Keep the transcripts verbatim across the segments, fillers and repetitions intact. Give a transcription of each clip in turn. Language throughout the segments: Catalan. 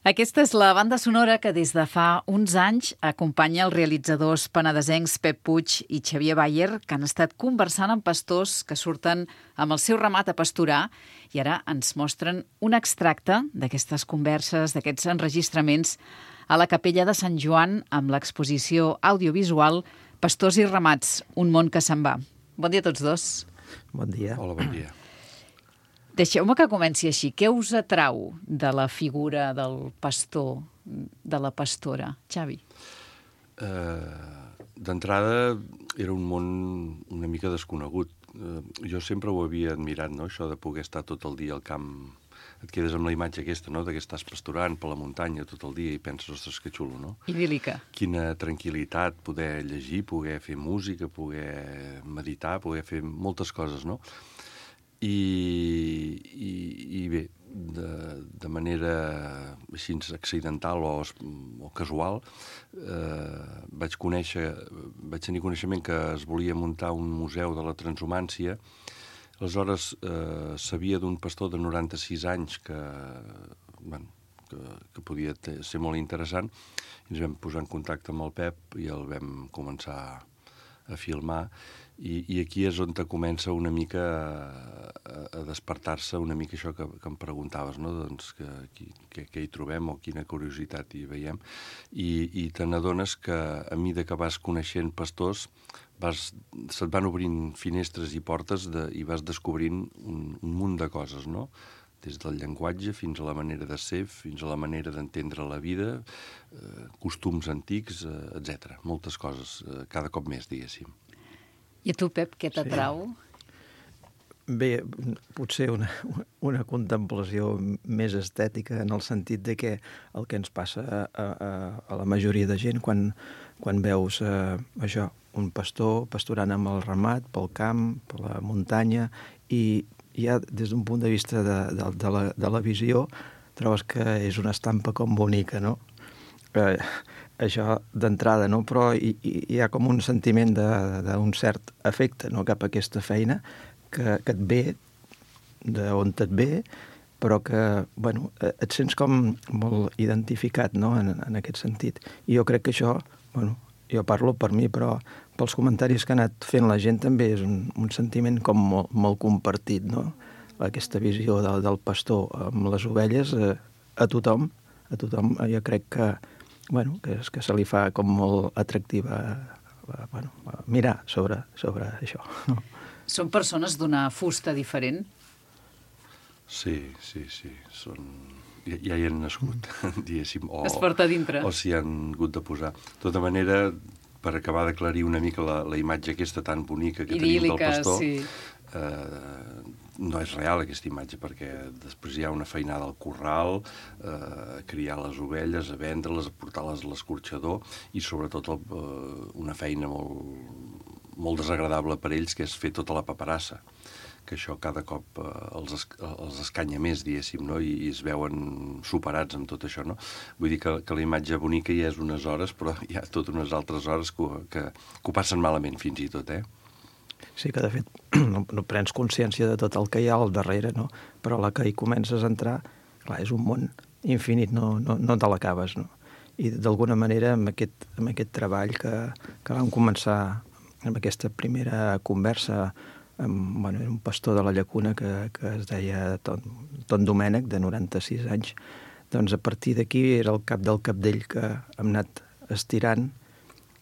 Aquesta és la banda sonora que des de fa uns anys acompanya els realitzadors penedesencs Pep Puig i Xavier Bayer, que han estat conversant amb pastors que surten amb el seu ramat a pasturar i ara ens mostren un extracte d'aquestes converses, d'aquests enregistraments a la capella de Sant Joan amb l'exposició audiovisual Pastors i ramats, un món que se'n va. Bon dia a tots dos. Bon dia. Hola, bon dia. Deixeu-me que comenci així. Què us atrau de la figura del pastor, de la pastora? Xavi? Uh, D'entrada, era un món una mica desconegut. Uh, jo sempre ho havia admirat, no?, això de poder estar tot el dia al camp. Et quedes amb la imatge aquesta, no?, de que estàs pasturant per la muntanya tot el dia i penses, ostres, que xulo, no? Idíl·lica. Quina tranquil·litat, poder llegir, poder fer música, poder meditar, poder fer moltes coses, no? I, i, i bé, de, de manera així accidental o, o casual, eh, vaig conèixer, vaig tenir coneixement que es volia muntar un museu de la transhumància. Aleshores, eh, sabia d'un pastor de noranta-sis anys que, bueno, que, que podia ser molt interessant, i ens vam posar en contacte amb el Pep i el vam començar a filmar. I, i aquí és on te comença una mica a, a despertar-se una mica això que, que em preguntaves, no?, doncs que, que, que hi trobem o quina curiositat hi veiem. I, i te n'adones que a mesura que vas coneixent pastors vas, se't van obrint finestres i portes de, i vas descobrint un, un munt de coses, no?, des del llenguatge fins a la manera de ser, fins a la manera d'entendre la vida, eh, costums antics, eh, etcètera. Moltes coses, eh, cada cop més, diguéssim. I a tu, Pep, què t'atrau? Sí. Bé, potser una, una contemplació més estètica en el sentit de que el que ens passa a, a, a la majoria de gent quan, quan veus eh, això, un pastor pasturant amb el ramat pel camp, per la muntanya, i ja des d'un punt de vista de, de, de, la, de la visió trobes que és una estampa com bonica, no? Eh, això d'entrada, no? Però hi, hi ha com un sentiment d'un cert afecte, no?, cap a aquesta feina que, que et ve, d'on et ve, però que, bueno, et sents com molt identificat, no?, en, en aquest sentit. I jo crec que això, bueno, jo parlo per mi, però pels comentaris que ha anat fent la gent també és un, un sentiment com molt, molt compartit, no?, aquesta visió del, del pastor amb les ovelles, eh, a tothom, a tothom, jo crec que bueno, que, és, que se li fa com molt atractiva eh, bueno, mirar sobre, sobre això. Són persones d'una fusta diferent? Sí, sí, sí. Són... Ja, ja hi han nascut, diguéssim. O, es porta a dintre. O s'hi han hagut de posar. De tota manera, per acabar d'aclarir una mica la, la imatge aquesta tan bonica que idíl·lica, tenim del pastor, sí. eh, no és real aquesta imatge, perquè després hi ha una feinada al corral, eh, a criar les ovelles, a vendre-les, a portar-les a l'escorxador, i sobretot el, eh, una feina molt, molt desagradable per ells, que és fer tota la paperassa, que això cada cop eh, els, es, els escanya més, diguéssim, no?, I, i es veuen superats amb tot això, no? Vull dir que, que la imatge bonica ja és unes hores, però hi ha totes unes altres hores que, que, que ho passen malament, fins i tot, eh? Sí, que de fet no, no prens consciència de tot el que hi ha al darrere, no? Però a la que hi comences a entrar, clar, és un món infinit, no, no, no te l'acabes, no? I d'alguna manera amb aquest, amb aquest treball que, que vam començar amb aquesta primera conversa amb, bueno, era un pastor de la Llacuna que, que es deia Ton, Ton Domènec, de noranta-sis anys, doncs a partir d'aquí era el cap del capdell que hem anat estirant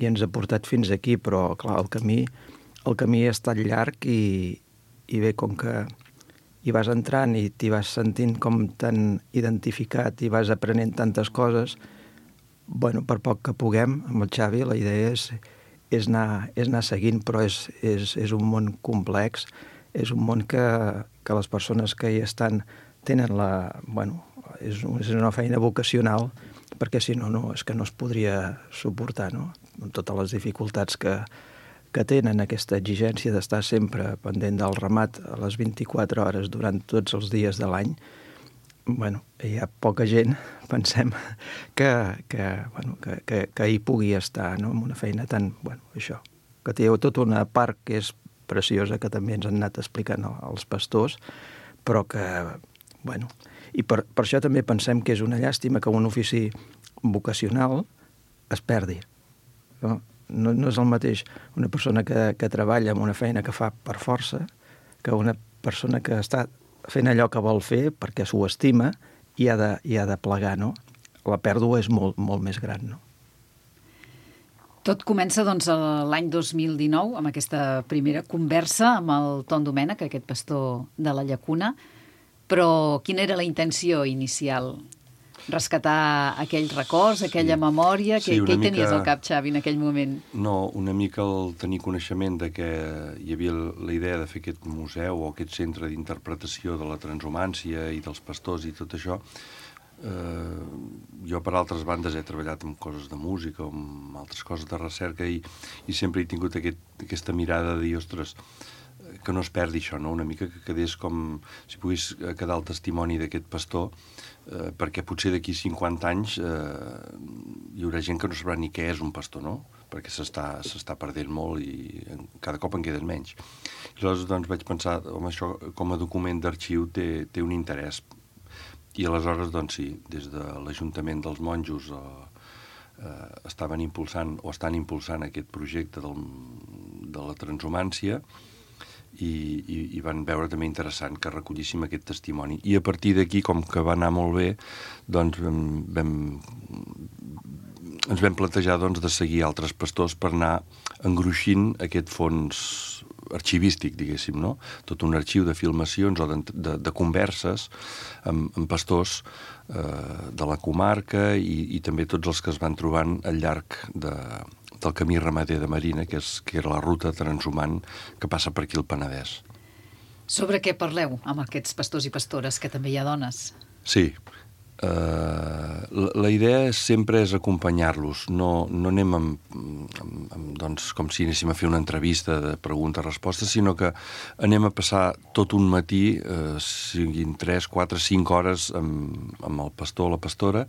i ens ha portat fins aquí, però clar, el camí El camí ha estat llarg i, i bé, com que hi vas entrant i t'hi vas sentint com tan identificat i vas aprenent tantes coses, bueno, per poc que puguem, amb el Xavi, la idea és, és, anar, és anar seguint, però és, és, és un món complex, és un món que, que les persones que hi estan tenen la, bueno, és, és una feina vocacional, perquè si no, no, és que no es podria suportar, no? Amb totes les dificultats que, que tenen, aquesta exigència d'estar sempre pendent del ramat a les vint-i-quatre hores durant tots els dies de l'any. Bueno, hi ha poca gent, pensem, que, que, bueno, que, que, que hi pugui estar, no?, amb una feina tan, bueno, això, que té tota una part que és preciosa, que també ens han anat explicant els pastors, però que, bueno, i per, per això també pensem que és una llàstima que un ofici vocacional es perdi, no? No, no és el mateix una persona que, que treballa en una feina que fa per força que una persona que està fent allò que vol fer perquè s'ho estima i ha de, i ha de plegar, no? La pèrdua és molt, molt més gran, no? Tot comença, doncs, l'any dos mil dinou, amb aquesta primera conversa amb el Ton Domènech, aquest pastor de la Llacuna, però quina era la intenció inicial? Rescatar aquells records, aquella sí. memòria? Sí, què hi mica... tenies al cap, Xavi, en aquell moment? No, una mica el tenir coneixement de que hi havia la idea de fer aquest museu o aquest centre d'interpretació de la transhumància i dels pastors i tot això. Eh, jo, per altres bandes, he treballat amb coses de música, amb altres coses de recerca i, i sempre he tingut aquest, aquesta mirada de dir, ostres, que no es perdi això, no? Una mica que quedés com si pogués quedar el testimoni d'aquest pastor, eh, perquè potser d'aquí cinquanta anys eh, hi haurà gent que no sabrà ni què és un pastor, no? Perquè s'està s'està perdent molt i cada cop en queden menys. I aleshores doncs, vaig pensar, home, això com a document d'arxiu té, té un interès. I aleshores, doncs sí, des de l'Ajuntament dels Monjos eh, eh, estaven impulsant o estan impulsant aquest projecte del, de la transhumància i, i, i van veure també interessant que recollíssim aquest testimoni. I a partir d'aquí, com que va anar molt bé, doncs vam, vam, ens vam plantejar doncs, de seguir altres pastors per anar engruixint aquest fons arxivístic, diguéssim, no? Tot un arxiu de filmacions o de, de, de converses amb, amb pastors eh, de la comarca i, i també tots els que es van trobant al llarg de, del camí ramader de Marina, que, és, que era la ruta transhumant que passa per aquí al Penedès. Sobre què parleu amb aquests pastors i pastores, que també hi ha dones? Sí. Uh, la, la idea sempre és acompanyar-los. No, no anem amb, amb, amb, doncs, com si anéssim a fer una entrevista de pregunta-resposta, sinó que anem a passar tot un matí, uh, siguin tres, quatre, cinc hores amb, amb el pastor o la pastora,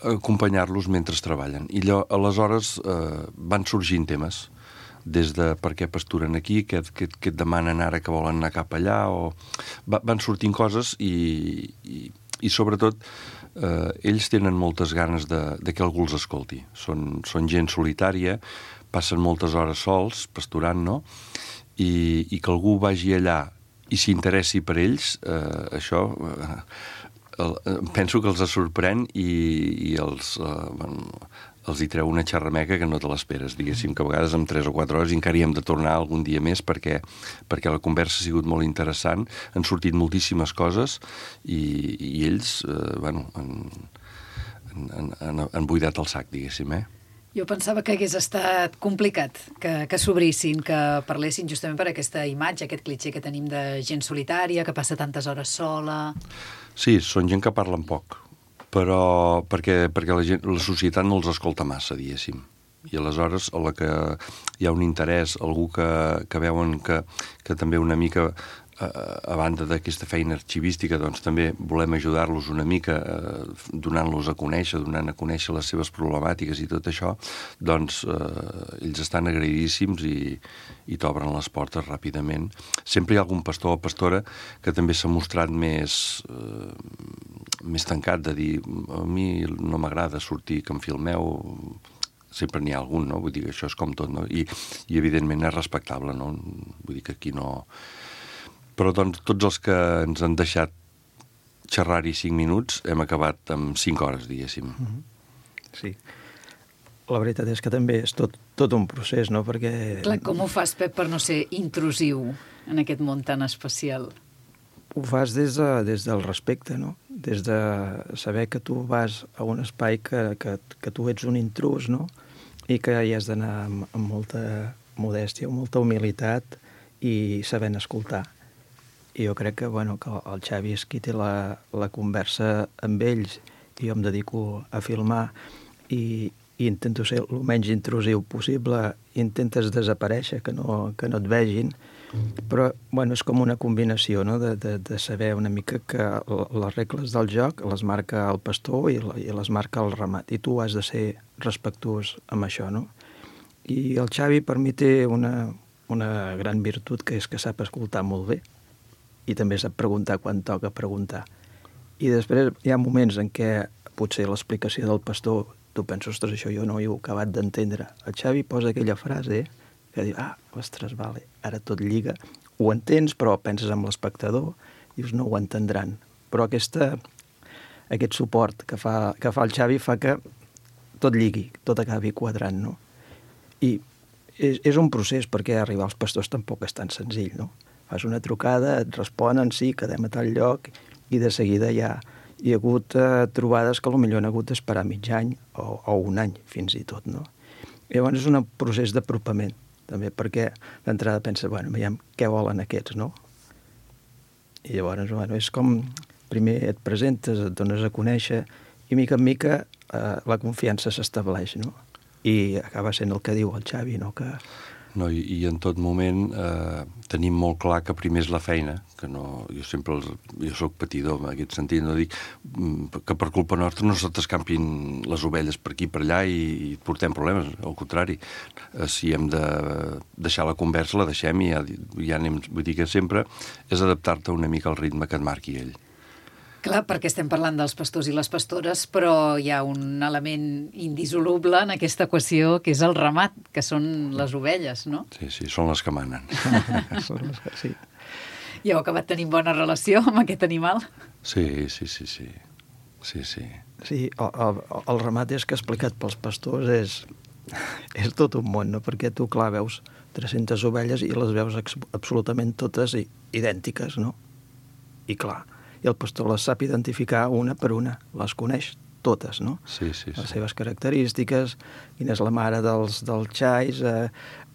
acompanyar-los mentre treballen. I allò, aleshores uh, van sorgint temes, des de per què pasturen aquí, què, què, què et demanen ara que volen anar cap allà, o va, van sortint coses i, i, i sobretot eh, ells tenen moltes ganes de, de que algú els escolti. Són, són gent solitària, passen moltes hores sols, pasturant, no? I, i que algú vagi allà i s'interessi per ells, eh, això eh, el, penso que els sorprèn i, i els... Eh, bueno, els hi treu una xerrameca que no te l'esperes, diguéssim, que a vegades en tres o quatre hores encara hi hem de tornar algun dia més perquè, perquè la conversa ha sigut molt interessant, han sortit moltíssimes coses i, i ells, eh, bueno, han, han, han, han buidat el sac, diguéssim, eh? Jo pensava que hagués estat complicat que, que s'obrissin, que parlessin justament per aquesta imatge, aquest clitxer que tenim de gent solitària, que passa tantes hores sola... Sí, són gent que parlen poc, però perquè, perquè la, gent, la societat no els escolta massa, diguéssim. I aleshores, a la que hi ha un interès, algú que, que veuen que, que també una mica, a, a banda d'aquesta feina arxivística, doncs també volem ajudar-los una mica, eh, donant-los a conèixer, donant a conèixer les seves problemàtiques i tot això, doncs eh, ells estan agraïdíssims i, i t'obren les portes ràpidament. Sempre hi ha algun pastor o pastora que també s'ha mostrat més... Eh, més tancat, de dir, a mi no m'agrada sortir que em filmeu, sempre n'hi ha algun, no? Vull dir que això és com tot, no? I, i evidentment és respectable, no? Vull dir que aquí no... Però doncs tots els que ens han deixat xerrar-hi cinc minuts hem acabat amb cinc hores, diguéssim. Sí. La veritat és que també és tot, tot un procés, no? Perquè... Clar, com ho fas, Pep, per no ser intrusiu en aquest món tan especial? Ho fas des, de, des del respecte, no? Des de saber que tu vas a un espai que, que, que tu ets un intrus, no? I que hi has d'anar amb, amb molta modèstia, amb molta humilitat i sabent escoltar. i jo crec que, bueno, que el Xavi és qui té la, la conversa amb ells i jo em dedico a filmar i, i intento ser el menys intrusiu possible, intentes desaparèixer, que no, que no et vegin, però bueno, és com una combinació, no? de, de, de saber una mica que les regles del joc les marca el pastor i, i les marca el ramat, i tu has de ser respectuós amb això, no? I el Xavi per mi té una, una gran virtut, que és que sap escoltar molt bé i també sap preguntar quan toca preguntar. I després hi ha moments en què potser l'explicació del pastor tu penses, ostres, això jo no ho he acabat d'entendre. El Xavi posa aquella frase que diu, ah, ostres, vale, ara tot lliga. Ho entens, però penses amb l'espectador, dius, no ho entendran. Però aquesta, aquest suport que fa, que fa el Xavi fa que tot lligui, tot acabi quadrant, no? I és, és un procés, perquè arribar als pastors tampoc és tan senzill, no? Fas una trucada, et responen, sí, quedem a tal lloc, i de seguida ja hi ha hagut eh, trobades que potser han hagut d'esperar mig any o, o un any, fins i tot, no? I llavors és un procés d'apropament, també, perquè d'entrada penses, bueno, veiem què volen aquests, no? I llavors, bueno, és com, primer et presentes, et dones a conèixer, i mica en mica eh, la confiança s'estableix, no? I acaba sent el que diu el Xavi, no? Que... No, i, i en tot moment eh, tenim molt clar que primer és la feina, que no, jo sempre els, jo soc patidor en aquest sentit, no dic que per culpa nostra no se t'escampin les ovelles per aquí per allà i, i portem problemes, al contrari, eh, si hem de deixar la conversa la deixem i ja, ja anem, vull dir que sempre és adaptar-te una mica al ritme que et marqui ell. Clar, perquè estem parlant dels pastors i les pastores, però hi ha un element indissoluble en aquesta equació, que és el ramat, que són les ovelles, no? Sí, sí, són les que manen. Sí. I heu acabat tenint bona relació amb aquest animal? Sí, sí, sí, sí. Sí, sí. Sí, el, el, el ramat és que explicat pels pastors és, és tot un món, no? Perquè tu, clar, veus tres-centes ovelles i les veus absolutament totes idèntiques, no? I clar, i el pastor les sap identificar una per una, les coneix totes, no? Sí, sí, sí. Les seves característiques, quina és la mare dels, dels xais, eh,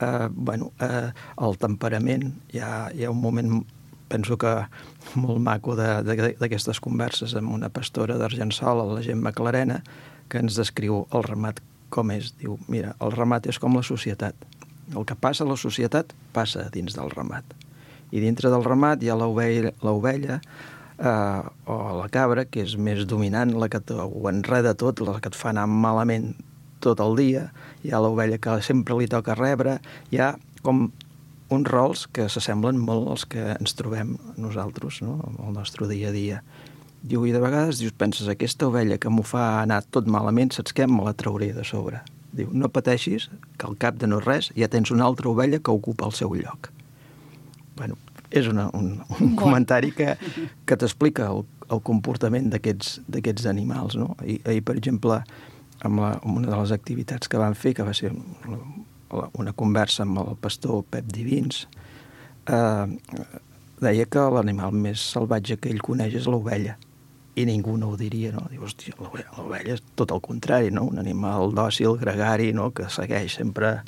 eh, bueno, eh, el temperament. Hi ha, hi ha un moment, penso que molt maco d'aquestes converses amb una pastora d'Argençol, la Gemma Clarena, que ens descriu el ramat com és. Diu, mira, el ramat és com la societat. El que passa a la societat passa dins del ramat. I dintre del ramat hi ha l'ovella, l'ovella Uh, o la cabra, que és més dominant, la que ho enreda tot, la que et fa anar malament tot el dia. Hi ha l'ovella que sempre li toca rebre. Hi ha com uns rols que s'assemblen molt als que ens trobem nosaltres, no? Al nostre dia a dia. Diu, i de vegades dius, penses, aquesta ovella que m'ho fa anar tot malament, saps què? Me la trauré de sobre. Diu, no pateixis, que al cap de no res ja tens una altra ovella que ocupa el seu lloc. Bueno, és una, un, un comentari que, que t'explica el, el comportament d'aquests animals, no? I, ahir, per exemple, amb, la, amb una de les activitats que vam fer, que va ser una, una conversa amb el pastor Pep Divins, eh, deia que l'animal més salvatge que ell coneix és l'ovella. I ningú no ho diria, no? Diu, hòstia, l'ovella és tot el contrari, no? Un animal dòcil, gregari, no? Que segueix sempre...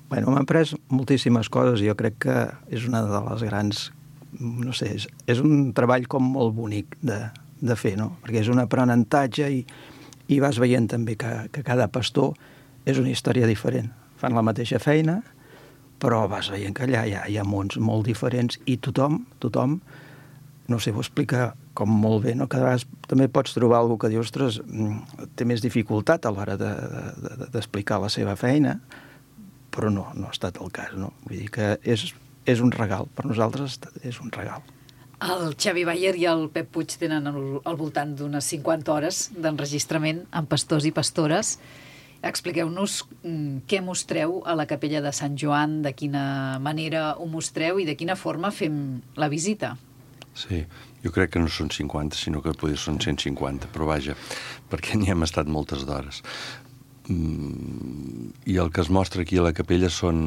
Bueno, m'han pres moltíssimes coses i jo crec que és una de les grans... No sé, és, és un treball com molt bonic de, de fer, no? Perquè és un aprenentatge i, i vas veient també que, que cada pastor és una història diferent. Fan la mateixa feina, però vas veient que allà hi ha, hi ha mons molt diferents i tothom, tothom, no sé, ho explica com molt bé, no? Cada vegada també pots trobar algú que diu, ostres, té més dificultat a l'hora d'explicar de, de, la seva feina, però no, no ha estat el cas, no? Vull dir que és, és un regal, per nosaltres és un regal. El Xavi Bayer i el Pep Puig tenen al, al voltant d'unes cinquanta hores d'enregistrament amb pastors i pastores. Expliqueu-nos què mostreu a la capella de Sant Joan, de quina manera ho mostreu i de quina forma fem la visita. Sí, jo crec que no són cinquanta, sinó que potser són cent cinquanta, però vaja, perquè n'hi hem estat moltes d'hores. I el que es mostra aquí a la capella són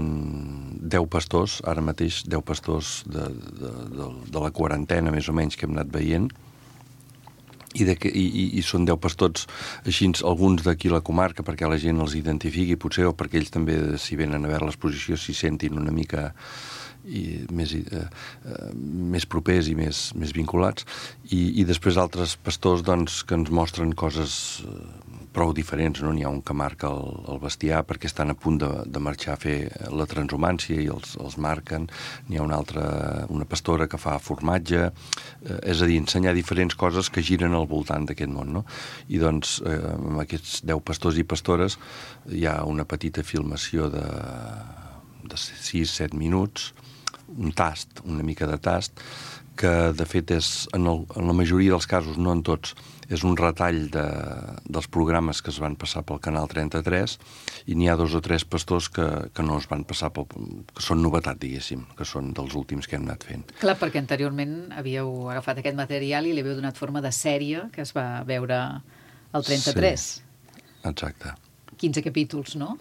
deu pastors, ara mateix deu pastors de, de, de, de la quarantena més o menys que hem anat veient, i, de que, i, i són deu pastors així, alguns d'aquí a la comarca perquè la gent els identifiqui potser, o perquè ells també, si venen a veure l'exposició, s'hi sentin una mica i més, eh, eh, més propers i més, més vinculats, i, i després altres pastors doncs, que ens mostren coses eh, prou diferents, no? N'hi ha un que marca el, el bestiar perquè estan a punt de, de marxar a fer la transhumància i els, els marquen. N'hi ha una altra, una pastora que fa formatge, eh, és a dir, ensenyar diferents coses que giren al voltant d'aquest món, no? I doncs, eh, amb aquests deu pastors i pastores hi ha una petita filmació de, de sis set minuts, un tast, una mica de tast, que de fet és, en, el, en la majoria dels casos, no en tots, és un retall de, dels programes que es van passar pel Canal trenta-tres, i n'hi ha dos o tres pastors que, que no es van passar pel, que són novetat, diguéssim, que són dels últims que hem anat fent. Clar, perquè anteriorment havíeu agafat aquest material i li havíeu donat forma de sèrie que es va veure al trenta-tres. Sí, exacte. quinze capítols, no?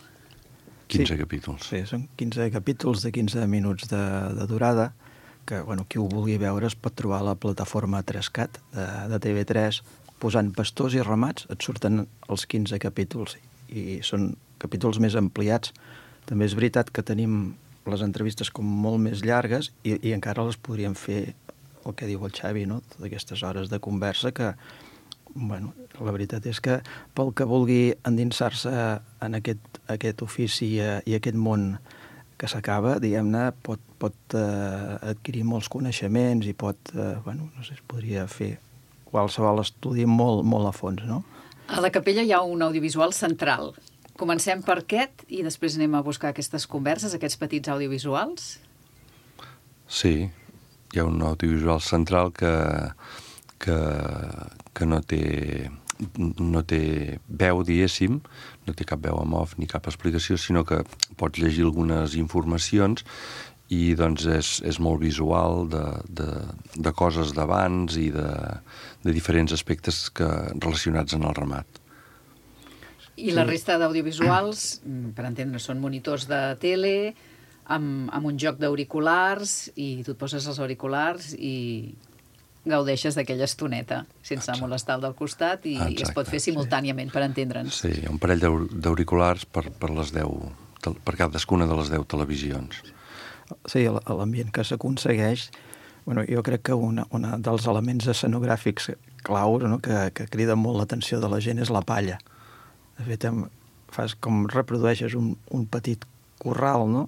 quinze sí, capítols. Sí, són quinze capítols de quinze minuts de, de durada, que bueno, qui ho vulgui veure es pot trobar a la plataforma tres cat de, de T V tres, posant pastors i ramats, et surten els quinze capítols, i són capítols més ampliats. També és veritat que tenim les entrevistes com molt més llargues i, i encara les podríem fer, el que diu el Xavi, no? Totes aquestes hores de conversa que, bueno, la veritat és que pel que vulgui endinsar-se en aquest, aquest ofici i aquest món que s'acaba, diguem-ne, pot, pot eh, adquirir molts coneixements i pot, eh, bueno, no sé, es podria fer qualsevol estudi molt, molt a fons, no? A la capella hi ha un audiovisual central. Comencem per aquest i després anem a buscar aquestes converses, aquests petits audiovisuals? Sí, hi ha un audiovisual central que, que, que no té... no té veu, diguéssim, no té cap veu en off ni cap explicació, sinó que pots llegir algunes informacions i doncs és, és molt visual de, de, de coses d'abans i de, de diferents aspectes que, relacionats en el ramat. I la resta d'audiovisuals, per entendre, són monitors de tele amb, amb un joc d'auriculars i tu et poses els auriculars i gaudeixes d'aquella estoneta sense Exacte. molestar el del costat i, i es pot fer simultàniament, sí. per entendre'ns. Sí, hi ha un parell d'auriculars per, per, les deu, per cadascuna de les deu televisions. Sí, l'ambient que s'aconsegueix, bueno, jo crec que un dels elements escenogràfics claus, no, que, que crida molt l'atenció de la gent és la palla. De fet, fas com reprodueixes un, un petit corral, no?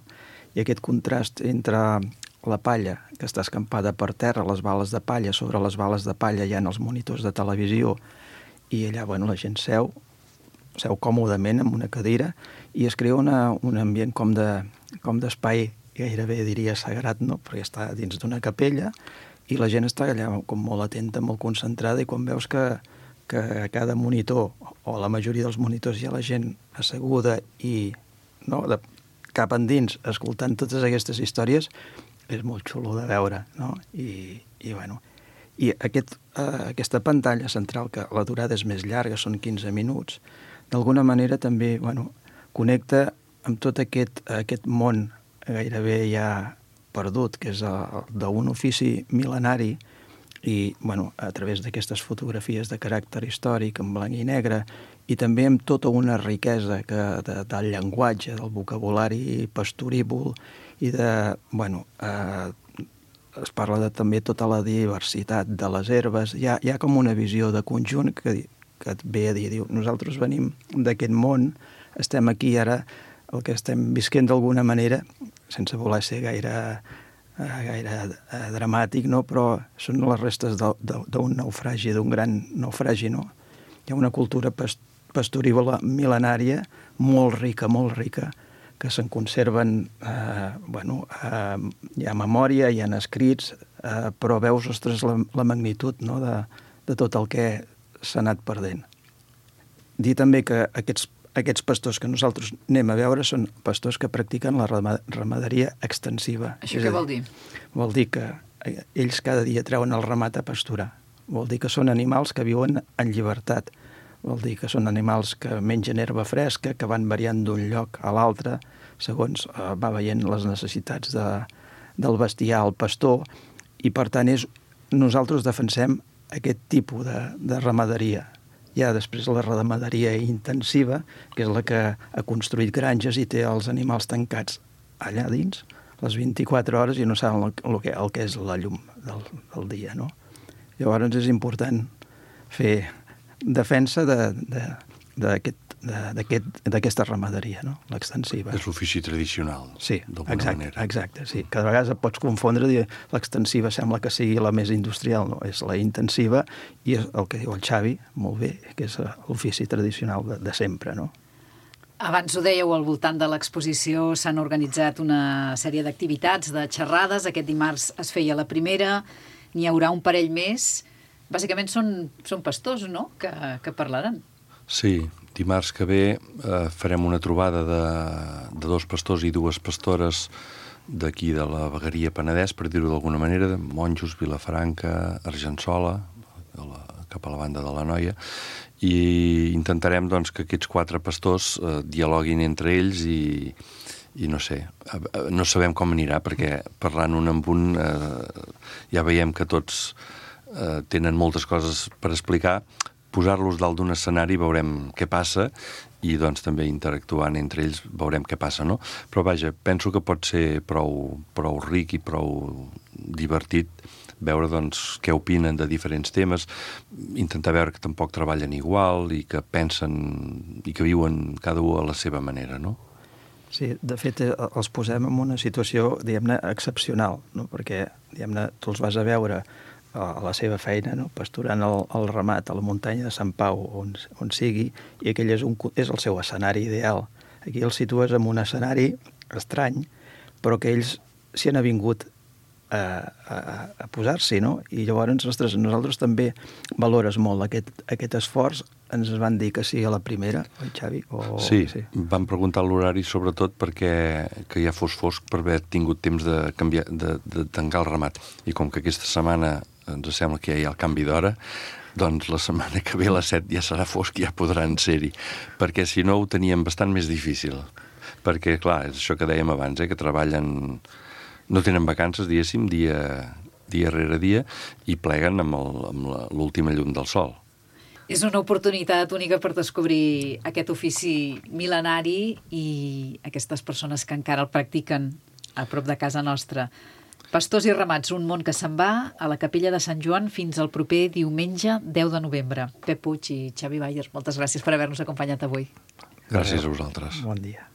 I aquest contrast entre la palla, que està escampada per terra, les bales de palla, sobre les bales de palla hi ha els monitors de televisió, i allà, bueno, la gent seu, seu còmodament amb una cadira, i es crea una, un ambient com de, com d'espai, gairebé diria sagrat, no? Perquè està dins d'una capella, i la gent està allà com molt atenta, molt concentrada, i quan veus que, que a cada monitor, o a la majoria dels monitors, hi ha la gent asseguda i, no, de, cap endins, escoltant totes aquestes històries, és molt xulo de veure, no? I, i bueno, i aquest, eh, aquesta pantalla central, que la durada és més llarga, són quinze minuts, d'alguna manera també, bueno, connecta amb tot aquest, aquest món gairebé ja perdut, que és d'un ofici mil·lenari, i, bueno, a través d'aquestes fotografies de caràcter històric, en blanc i negre, i també amb tota una riquesa que, de, del llenguatge, del vocabulari pastorívol, i de, bueno, eh, es parla de també tota la diversitat de les herbes. Hi ha, hi ha com una visió de conjunt que, que et ve a dir, diu, nosaltres venim d'aquest món, estem aquí ara, el que estem visquent d'alguna manera, sense voler ser gaire, eh, gaire eh, dramàtic, no? Però són les restes d'un naufragi, d'un gran naufragi, no? Hi ha una cultura past pastorívola mil·lenària molt rica, molt rica, que se'n conserven, eh, bueno, eh, hi ha memòria, hi ha escrits, eh, però veus, ostres, la, la magnitud, no?, de, de tot el que s'ha anat perdent. Dir també que aquests, aquests pastors que nosaltres anem a veure són pastors que practiquen la ramaderia extensiva. Això què vol dir? Vol dir que ells cada dia treuen el ramat a pasturar. Vol dir que són animals que viuen en llibertat. Vol dir que són animals que mengen herba fresca, que van variant d'un lloc a l'altre, segons eh, va veient les necessitats de, del bestiar, el pastor, i per tant és, nosaltres defensem aquest tipus de, de ramaderia. Hi ha després la ramaderia intensiva, que és la que ha construït granges i té els animals tancats allà dins. les vint-i-quatre hores i no saben el, el, que, el que és la llum del, del dia, no? Llavors és important fer defensa d'aquesta ramaderia, no? L'extensiva. És l'ofici tradicional, sí, d'alguna exacte, manera. Exacte, sí. Cada vegada et pots confondre, dir l'extensiva sembla que sigui la més industrial, no? És la intensiva i és el que diu el Xavi, molt bé, que és l'ofici tradicional de, de sempre, no? Abans ho dèieu, al voltant de l'exposició s'han organitzat una sèrie d'activitats, de xerrades. Aquest dimarts es feia la primera, n'hi haurà un parell més. Bàsicament són, són pastors, no?, que, que parlaran. Sí, dimarts que ve eh, farem una trobada de, de dos pastors i dues pastores d'aquí de la vegueria Penedès, per dir-ho d'alguna manera, de Monjos, Vilafranca, Argençola, a la, cap a la banda de l'Anoia, i intentarem doncs, que aquests quatre pastors eh, dialoguin entre ells i, i no sé, no sabem com anirà, perquè parlant un amb un eh, ja veiem que tots eh, tenen moltes coses per explicar. Posar-los dalt d'un escenari veurem què passa i doncs també interactuant entre ells veurem què passa, no? Però vaja, penso que pot ser prou, prou ric i prou divertit veure doncs què opinen de diferents temes, intentar veure que tampoc treballen igual i que pensen i que viuen cada un a la seva manera, no? Sí, de fet els posem en una situació, diguem-ne, excepcional, no? Perquè, diguem-ne, tu els vas a veure a la seva feina, no? Pasturant el, el ramat a la muntanya de Sant Pau, on, on sigui, i aquell és, un, és el seu escenari ideal. Aquí els situes en un escenari estrany, però que ells s'hi han avingut a, a, a posar-s'hi, no? I llavors, ostres, nosaltres també valores molt aquest, aquest esforç. Ens van dir que sí a la primera, oi, Xavi? O... Sí, sí, vam preguntar l'horari sobretot perquè que ja fos fosc per haver tingut temps de, canviar, de, de tancar el ramat. I com que aquesta setmana ens sembla que ja hi ha el canvi d'hora, doncs la setmana que ve a les set ja serà fosc i ja podran ser-hi, perquè si no ho teníem bastant més difícil. Perquè, clar, és això que dèiem abans, eh, que treballen, no tenen vacances, diguéssim, dia, dia rere dia, i pleguen amb el, amb l'última llum del sol. És una oportunitat única per descobrir aquest ofici mil·lenari i aquestes persones que encara el practiquen a prop de casa nostra. Pastors i ramats, un món que se'n va a la Capella de Sant Joan fins al proper diumenge deu de novembre. Pep Puig i Xavi Bayer, moltes gràcies per haver-nos acompanyat avui. Gràcies a vosaltres. Bon dia.